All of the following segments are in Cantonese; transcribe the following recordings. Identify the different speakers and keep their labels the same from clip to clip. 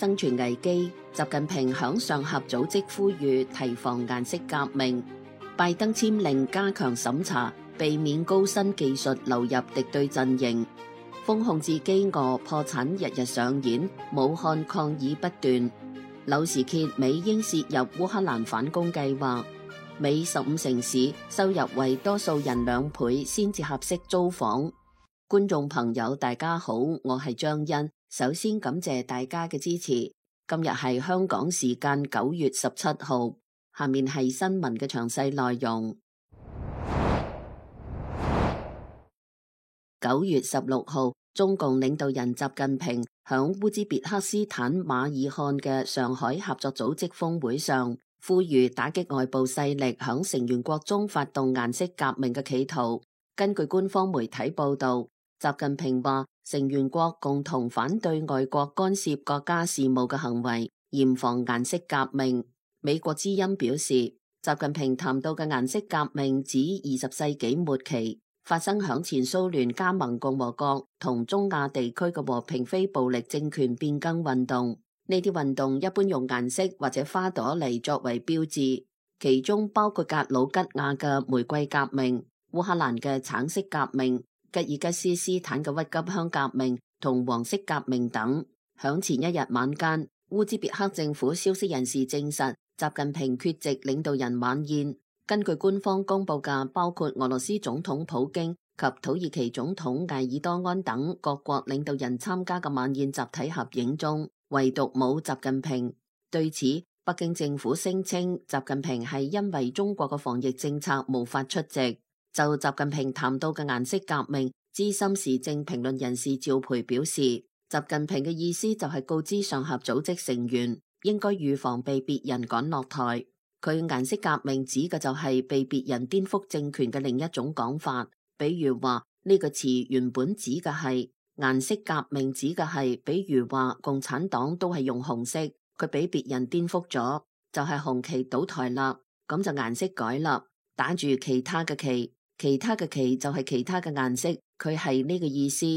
Speaker 1: 生存危機，習近平響上合組織呼籲提防顏色革命。拜登簽令加強審查，避免高新技術流入敵對陣營。封控至飢餓破產日日上演，武漢抗議不斷。柳時揭美英涉入烏克蘭反攻計劃。美15城市收入為多數人2倍先至合適租房。觀眾朋友大家好，我係張欣，首先感謝大家嘅支持。今日係香港時間9月17號，下面係新聞嘅詳細內容。9月16號，中共領導人習近平響烏茲別克斯坦馬爾罕嘅上海合作組織峰會上，呼籲打擊外部勢力響成員國中發動顏色革命嘅企圖。根據官方媒體報道，習近平話成員國共同反對外國干涉國家事務嘅行為，嚴防顏色革命。美國之音表示，習近平談到嘅顏色革命指20世紀末期發生響前蘇聯加盟共和國同中亞地區嘅和平非暴力政權變更運動。呢啲運動一般用顏色或者花朵嚟作為標誌，其中包括格魯吉亞嘅玫瑰革命、烏克蘭嘅橙色革命、吉爾吉斯斯坦嘅鬱金香革命同黃色革命等。響前一日晚間，烏茲別克政府消息人士證實，習近平缺席領導人晚宴。根據官方公布嘅包括俄羅斯總統普京及土耳其總統埃爾多安等各國領導人參加嘅晚宴集體合影中，唯獨冇習近平。對此，北京政府聲稱習近平係因為中國嘅防疫政策無法出席。就習近平談到嘅顏色革命，資深時政評論人士趙培表示，習近平嘅意思就係告知上合組織成員應該預防被別人趕落台。佢顏色革命指嘅就係被別人顛覆政權嘅另一種講法，比如話呢個詞原本指嘅係顏色革命，指嘅係比如話共產黨都係用紅色，佢俾別人顛覆咗，就係紅旗倒台啦，咁就顏色改啦，打住其他嘅旗。其他嘅旗就係其他嘅顏色，佢係呢個意思。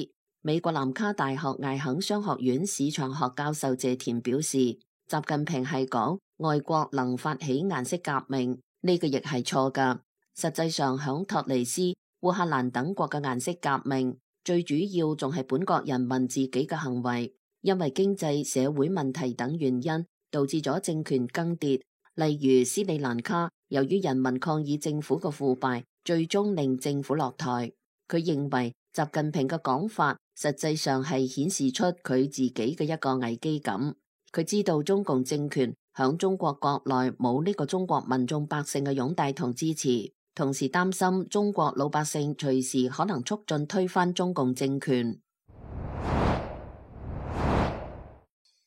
Speaker 1: 美國南卡大學艾肯商學院市場學教授謝田表示，習近平係講外國能發起顏色革命，呢個亦係錯㗎。實際上響托尼斯、烏克蘭等國嘅顏色革命，最主要仲係本國人民自己嘅行為，因為經濟社會問題等原因導致咗政權更迭。例如斯里蘭卡，由於人民抗議政府嘅腐敗，最終令政府落台。佢認為習近平嘅講法實際上係顯示出佢自己嘅一個危機感。佢知道中共政權響中國國內冇呢個中國民眾百姓嘅擁戴同支持，同時擔心中國老百姓隨時可能促進推翻中共政權。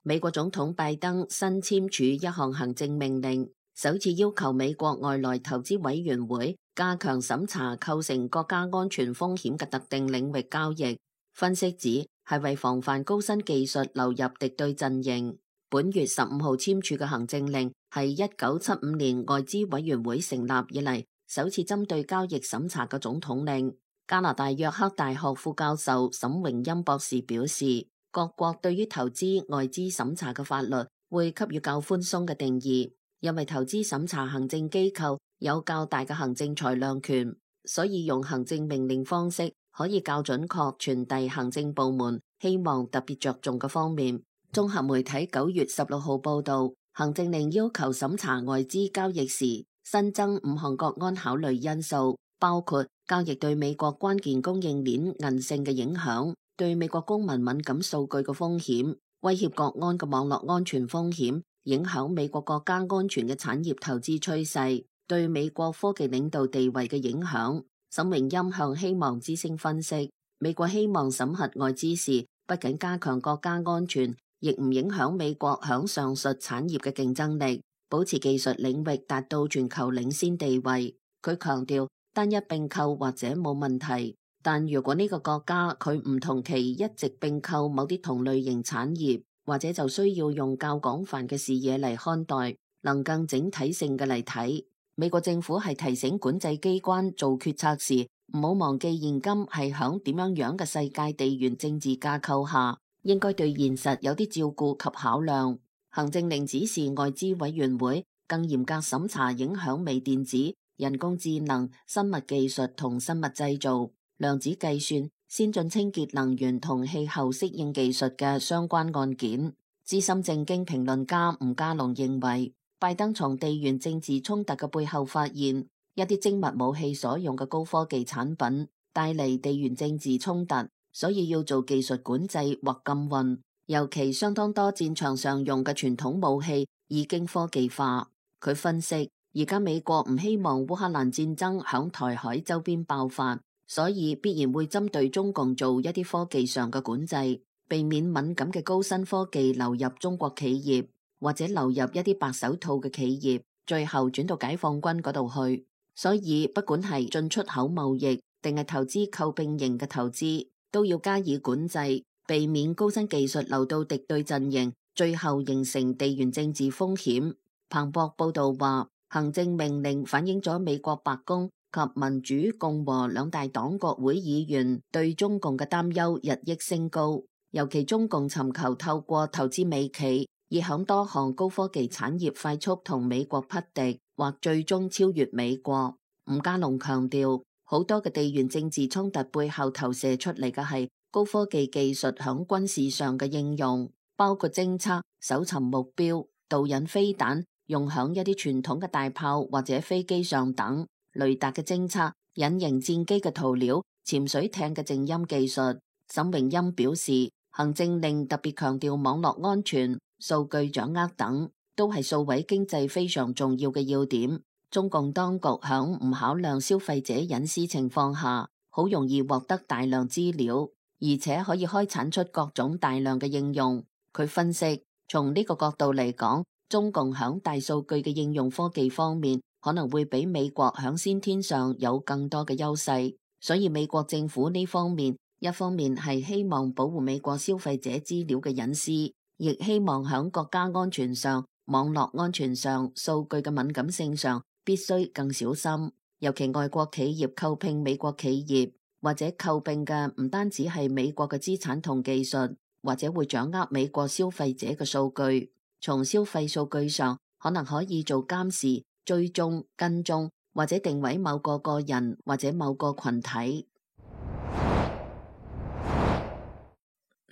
Speaker 1: 美國總統拜登新簽署一項行政命令，首次要求美國外來投資委員會加強審查構成國家安全風險嘅特定領域交易。分析指係為防範高新技術流入敵對陣營。本月15號簽署嘅行政令係1975年外資委員會成立以嚟首次針對交易審查嘅總統令。加拿大約克大學副教授沈榮欽博士表示，各國對於投資外資審查嘅法律會給予較寬鬆嘅定義，因為投資審查行政機構有較大嘅行政裁量權，所以用行政命令方式可以較準確傳遞行政部門希望特別着重嘅方面。綜合媒體9月16號報道，行政令要求審查外資交易時新增5項國安考慮因素，包括交易對美國關鍵供應鏈韌性嘅影響，對美國公民敏感數據嘅風險，威脅國安嘅網絡安全風險，影響美國國家安全嘅產業投資趨勢，對美國科技領導地位嘅影響。沈榮欽向希望之聲分析，美國希望審核外資時不僅加強國家安全，亦唔影響美國響上述產業嘅競爭力，保持技術領域達到全球領先地位。佢強調單一併購或者冇問題，但如果呢個國家佢唔同期一直併購某啲同類型產業，或者就需要用較廣泛嘅視野嚟看待，能更整體性嘅嚟睇。美國政府係提醒管制機關做決策時，唔好忘記現今係響點樣嘅世界地緣政治架構下，應該對現實有啲照顧及考量。行政令指示外資委員會更嚴格審查影響微電子、人工智能、生物技術同生物製造、量子計算、先進清潔能源同氣候適應技術嘅相關案件。資深政經評論家吳家龍認為，拜登從地緣政治衝突嘅背後發現，一啲精密武器所用嘅高科技產品帶嚟地緣政治衝突，所以要做技術管制或禁運。尤其相當多戰場上用嘅傳統武器已經科技化。佢分析，而家美國唔希望烏克蘭戰爭響台海周邊爆發，所以必然會針對中共做一啲科技上嘅管制，避免敏感嘅高新科技流入中國企業，或者流入一啲白手套嘅企業，最後轉到解放軍嗰度去。所以不管係進出口貿易定係投資購併型嘅投資，都要加以管制，避免高新技術流到敵對陣營，最後形成地緣政治風險。彭博報道話，行政命令反映咗美國白宮及民主共和兩大黨國會議員對中共嘅擔憂日益升高，尤其中共尋求透過投資美企，以響多項高科技產業快速同美國匹敵，或最終超越美國。吳家龍強調，好多嘅地緣政治衝突背後投射出嚟嘅係高科技技術響軍事上嘅應用，包括偵測、搜尋目標、導引飛彈用響一啲傳統嘅大炮或者飛機上等，雷達嘅偵測、隱形戰機嘅塗料、潛水艇嘅靜音技術。沈榮欽表示，行政令特別強調網絡安全、數據掌握等，都係數位經濟非常重要嘅要點。中共當局響唔考量消費者隱私情況下，好容易獲得大量資料，而且可以開產出各種大量嘅應用。佢分析，從呢個角度嚟講，中共響大數據嘅應用科技方面，可能會比美國響先天上有更多嘅優勢。所以美國政府呢方面，一方面係希望保護美國消費者資料嘅隱私，亦希望響國家安全上、網絡安全上、數據嘅敏感性上必須更小心。尤其外國企業購併美國企業，或者購併嘅唔單止係美國嘅資產同技術，或者會掌握美國消費者嘅數據。從消費數據上，可能可以做監視、追蹤、跟蹤，或者定位某個個人或者某個群體。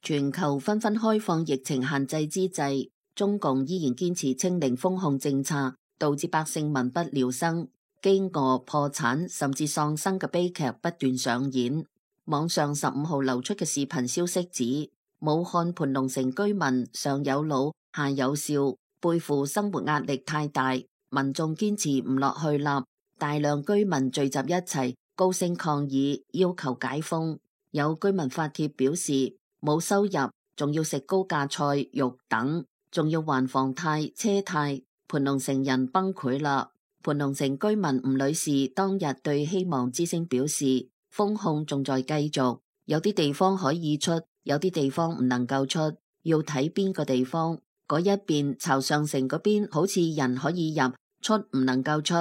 Speaker 1: 全球紛紛開放疫情限制之際，中共依然堅持清零封控政策，導致百姓民不聊生，飢餓、破產甚至喪生嘅悲劇不斷上演。網上15號流出嘅視頻消息指，武漢盤龍城居民上有老下有少，背負生活壓力太大，民眾堅持唔落去啦，大量居民聚集一齊，高聲抗議，要求解封。有居民發帖表示，冇收入，仲要食高價菜肉等，仲要還房貸、車貸，盤龍城人崩潰啦。盤龍城居民吳女士當日對希望之聲表示，封控仲在繼續，有啲地方可以出，有啲地方唔能夠出，要睇邊個地方。嗰一邊潮上城嗰邊好似人可以入，出唔能夠出。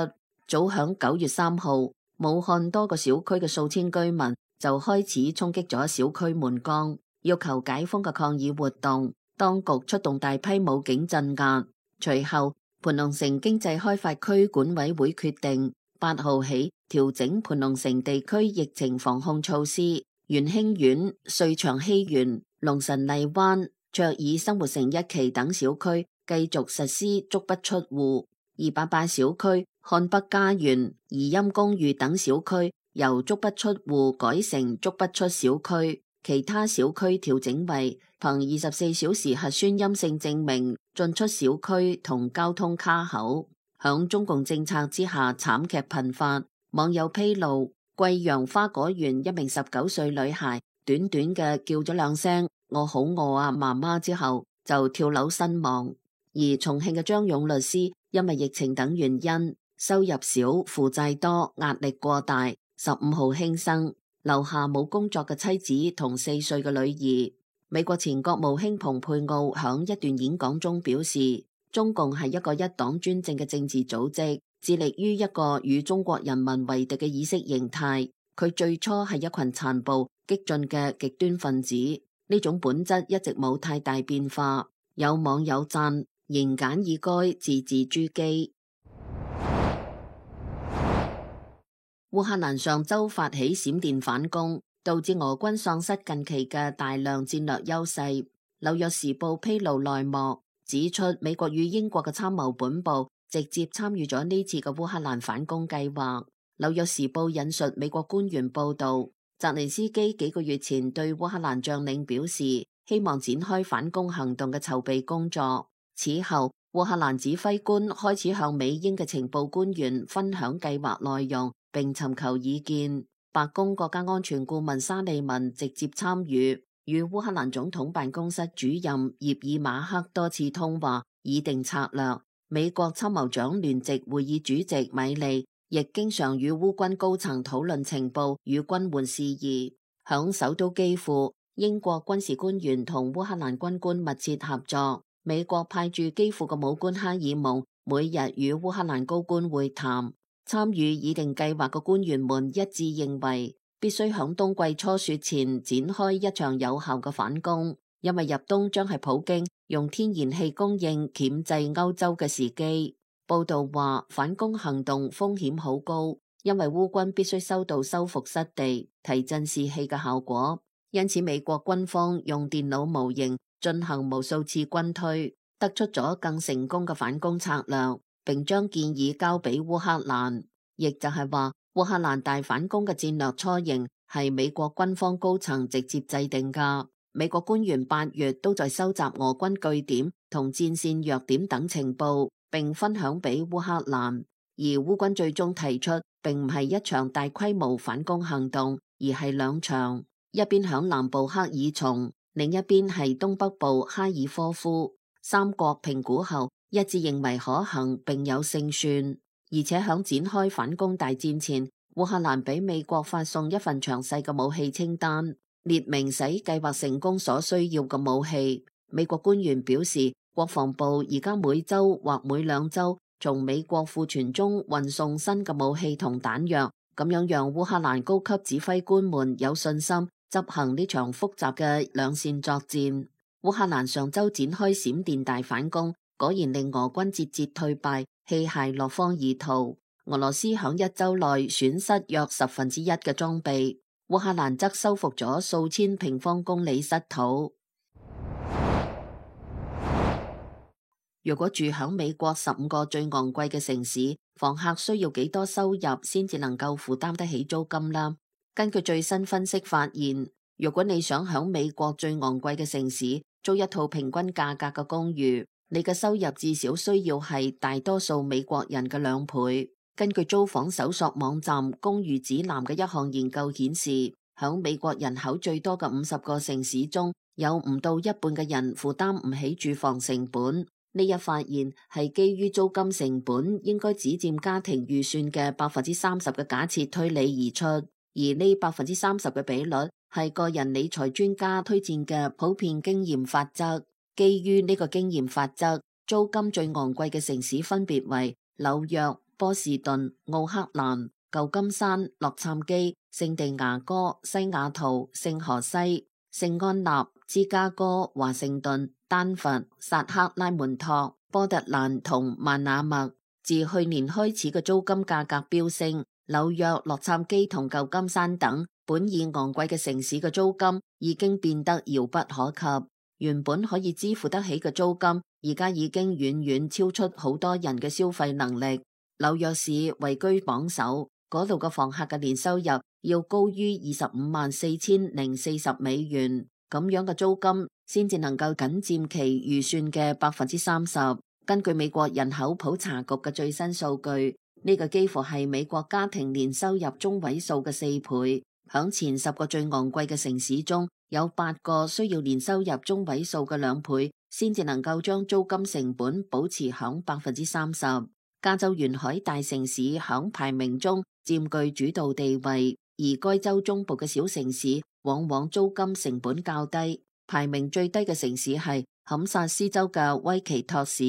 Speaker 1: 早響9月3號，武漢多個小區嘅數千居民就開始衝擊咗小區門崗，要求解封嘅抗議活動，當局出動大批武警鎮壓。隨後，盤龍城經濟開發區管委會決定8號起調整盤龍城地區疫情防控措施，元興苑、瑞祥禧園、龍神荔灣、卓爾生活城一期等小區繼續實施足不出戶；288小區、漢北家園、怡蔭公寓等小區由足不出戶改成足不出小區，其他小區調整為憑24小時核酸陰性證明進出小區同交通卡口。響中共政策之下，慘劇頻發。網友披露，貴陽花果園一名19歲女孩，短短嘅叫咗2聲我好餓啊媽媽之後，就跳樓身亡。而重慶嘅張勇律師因為疫情等原因，收入少、負債多、壓力過大，15號輕生，留下冇工作嘅妻子同4歲嘅女兒。美國前國務卿蓬佩奧響一段演講中表示，中共係一個一黨專政嘅政治組織，致力於一個與中國人民為敵嘅意識形態。佢最初係一群殘暴激進嘅極端分子，呢種本質一直冇太大變化。有網友讚言簡意賅，字字珠璣。烏克蘭上週發起閃電反攻，導致俄軍喪失近期嘅大量戰略優勢。紐約時報披露內幕，指出美國與英國嘅參謀本部直接參與咗呢次嘅烏克蘭反攻計劃。紐約時報引述美國官員報道，澤連斯基幾個月前對烏克蘭將領表示，希望展開反攻行動嘅籌備工作。此後，烏克蘭指揮官開始向美英嘅情報官員分享計劃內容，並尋求意見。白宮國家安全顧問沙利文直接參與，與烏克蘭總統辦公室主任葉爾馬克多次通話，擬定策略。美國參謀長聯席會議主席米利亦經常與烏軍高層討論情報與軍援事宜。響首都基輔，英國軍事官員同烏克蘭軍官密切合作。美國派駐基輔嘅武官哈爾蒙每日與烏克蘭高官會談。參與擬定計劃嘅官員們一致認為，必須響冬季初雪前展開一場有效嘅反攻，因為入冬將係普京用天然氣供應鉗制歐洲嘅時機。報道話，反攻行動風險好高，因為烏軍必須收到收復失地、提振士氣嘅效果，因此美國軍方用電腦模型進行無數次軍推，得出咗更成功嘅反攻策略，並將建議交俾烏克蘭。亦就係話，烏克蘭大反攻嘅戰略雛形係美國軍方高層直接制定㗎。美國官員8月都在收集俄軍據點同戰線弱點等情報，並分享俾烏克蘭。而烏軍最終提出，並唔係一場大規模反攻行動，而係兩場，一邊響南部克爾松，另一邊係東北部哈爾科夫。三國評估後一致認為可行並有勝算，而且響展開反攻大戰前，烏克蘭俾美國發送一份詳細嘅武器清單，列明使計劃成功所需要嘅武器。美國官員表示，國防部而家每週或每2週從美國庫存中運送新嘅武器同彈藥，咁樣讓烏克蘭高級指揮官們有信心執行呢場複雜嘅兩線作戰。烏克蘭上週展開閃電大反攻，果然令俄軍節節退敗，棄械落荒而逃。俄羅斯響1週內損失約1/10嘅裝備，烏克蘭則收復咗數千平方公里失土。如果住響美國15個最昂貴嘅城市，房客需要幾多收入先至能夠負擔得起租金啦？根據最新分析發現，如果你想響美國最昂貴嘅城市租一套平均價格嘅公寓，你嘅收入至少需要係大多數美國人嘅2倍。根據租房搜索網站公寓指南嘅一項研究顯示，響美國人口最多嘅50個城市中，有唔到一半嘅人負擔唔起住房成本。呢一發現係基於租金成本應該只佔家庭預算嘅30%嘅假設推理而出，而呢30%嘅比率係個人理財專家推薦嘅普遍經驗法則。基於呢個經驗法則，租金最昂貴嘅城市分別為紐約、波士頓、奧克蘭、舊金山、洛杉磯、聖地牙哥、西雅圖、聖荷西、聖安納、芝加哥、華盛頓、丹佛、薩克拉門托、波特蘭同曼那默。自去年開始嘅租金價格飆升，紐約、洛杉磯同舊金山等本已昂貴嘅城市嘅租金已經變得遙不可及。原本可以支付得起嘅租金，而家已經遠遠超出好多人嘅消費能力。紐約市位居榜首，嗰度嘅房客嘅年收入要高於254040美元，咁樣嘅租金先至能夠僅佔其預算嘅30%。根據美國人口普查局嘅最新數據，呢個幾乎係美國家庭年收入中位數嘅4倍。響前10個最昂貴嘅城市中，有8個需要年收入中位數嘅2倍，先至能夠將租金成本保持響30%。加州沿海大城市響排名中佔據主導地位，而該州中部嘅小城市往往租金成本較低。排名最低嘅城市係堪薩斯州嘅威奇托市，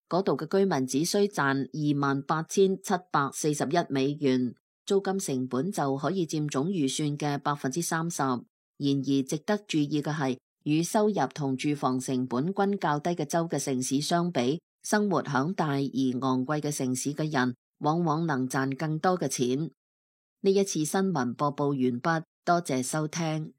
Speaker 1: 嗰度嘅居民只需賺28,741美元。租金成本就可以佔總預算嘅30%。然而值得注意嘅係，與收入同住房成本均較低嘅州嘅城市相比，生活響大而昂貴嘅城市嘅人，往往能賺更多嘅錢。呢一次新聞播報完畢，多謝收聽。